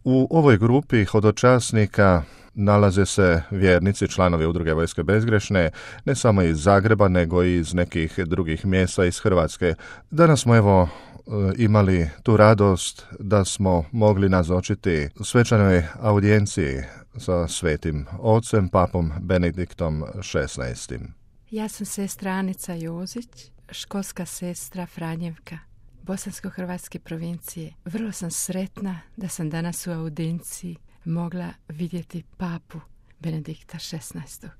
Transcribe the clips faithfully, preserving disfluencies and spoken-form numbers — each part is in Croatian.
U ovoj grupi hodočasnika nalaze se vjernici, članovi udruge Vojske bezgrešne, ne samo iz Zagreba, nego i iz nekih drugih mjesta iz Hrvatske. Danas smo evo imali tu radost da smo mogli nazočiti svečanoj audijenciji sa svetim ocem, papom Benediktom šesnaestim. Ja sam sestra Anica Jozić, školska sestra Franjevka, bosansko-hrvatske provincije. Vrlo sam sretna da sam danas u audienciji mogla vidjeti papu Benedikta šesnaestog.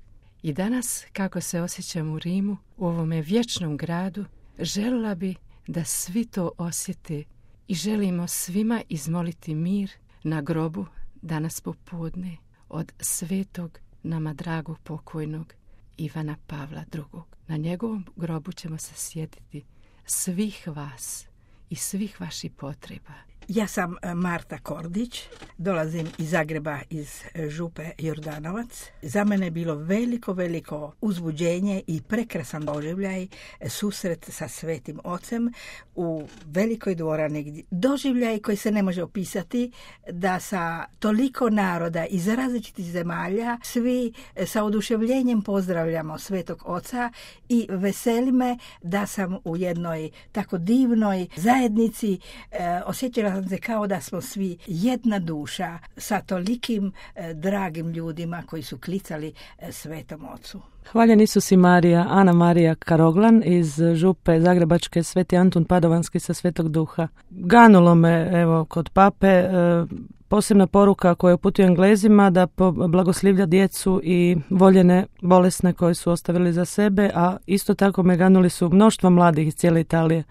I danas, kako se osjećam u Rimu, u ovome vječnom gradu, željela bi da svi to osjete i želimo svima izmoliti mir na grobu danas popodne od svetog nama dragog pokojnog Ivana Pavla drugog. Na njegovom grobu ćemo se sjetiti svih vas i svih vaših potreba. Ja sam Marta Kordić, dolazim iz Zagreba, iz župe Jordanovac. Za mene je bilo veliko, veliko uzbuđenje i prekrasan doživljaj, susret sa Svetim Ocem u velikoj dvorani. Doživljaj koji se ne može opisati, da sa toliko naroda iz različitih zemalja svi sa oduševljenjem pozdravljamo Svetog Oca i veseli me da sam u jednoj tako divnoj zajednici e, osjećala sam se kao da smo svi jedna duša sa tolikim e, dragim ljudima koji su klicali e, Svetom Ocu. Hvaljen Isus i Marija, Ana Marija Karoglan iz župe Zagrebačke, Sveti Antun Padovanski sa Svetog Duha. Ganulo me, evo, kod pape, e, posebna poruka koju uputio Englezima da blagoslivlja djecu i voljene bolesne koje su ostavili za sebe, a isto tako me ganuli su mnoštvo mladih iz cijele Italije